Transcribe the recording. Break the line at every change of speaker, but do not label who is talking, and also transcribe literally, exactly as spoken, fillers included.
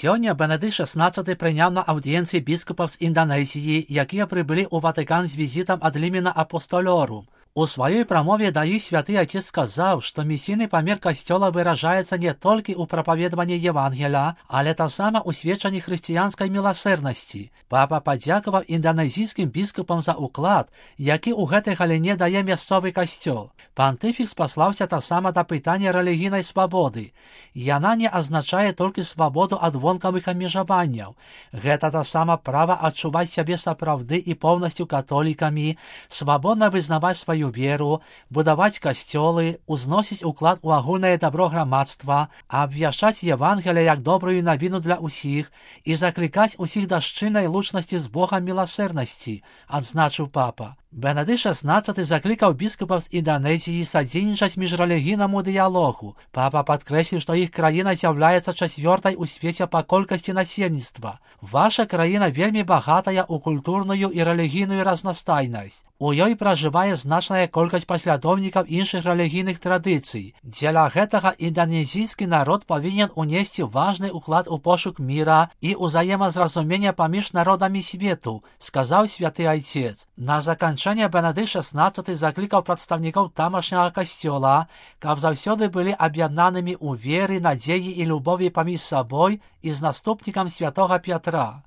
Сёння Бенедыкт шестнадцаты прыняў на аўдыенцыі біскупаў з Інданезіі, якія прыбылі ў Ватыкан з візітам ад Лімена Апостолорум. У сваёй прамове да іх святы Отец сказаў, што місійны памер Касцёла выражаецца не толькі ў прапаведванні Евангеля, але таксама ў сведчанні хрысціянскай міласэрнасці. Папа падзякаваў інданезійскім біскупам за ўклад, які ў гэтай галіне дае мясцовы касцёл. Пантыфік спаслаўся таксама да пытання рэлігійнай свабоды. Яна не азначае толькі свабоду ад вонкавых абмежаванняў. Гэта таксама права адчуваць сябе сапраўды і поўнасцю католікамі, свабодна вызнаваць сваю веру, будаваць касцёлы, узносіць уклад у агульнае дабро грамадства, абвяшчаць Евангелие як добрую навіну для ўсіх і заклікаць усіх да шчыльнай лучнасці з Богам міласэрнасці, адзначыў папа. Бенедыкт шестнадцаты заклікаў біскупаў з Інданезіі садзейнічаць міжрэлігійнаму дыялогу. Папа падкрэсліў, што іх краіна з'яўляецца чацвёртай у свеце па колькасці насельніцтва. Ваша краіна вельмі багатая ў культурную і рэлігійную разнастайнасць. У ёй пражывае значная колькасць паслядоўнікаў іншых рэлігійных традыцый. Дзеля гэтага інданезійскі народ павінен унесці важны ўклад у пошук міра і ўзаемазразумення паміж народамі свету, сказаў святы Айцец. На заканчэнне Бенедыкт шестнадцаты заклікаў прадстаўнікоў тамашняга касцёла, каб заўсёды былі аб'яднанымі ў веры, надзеі і любові паміж сабой і з наступнікам святога Пятра.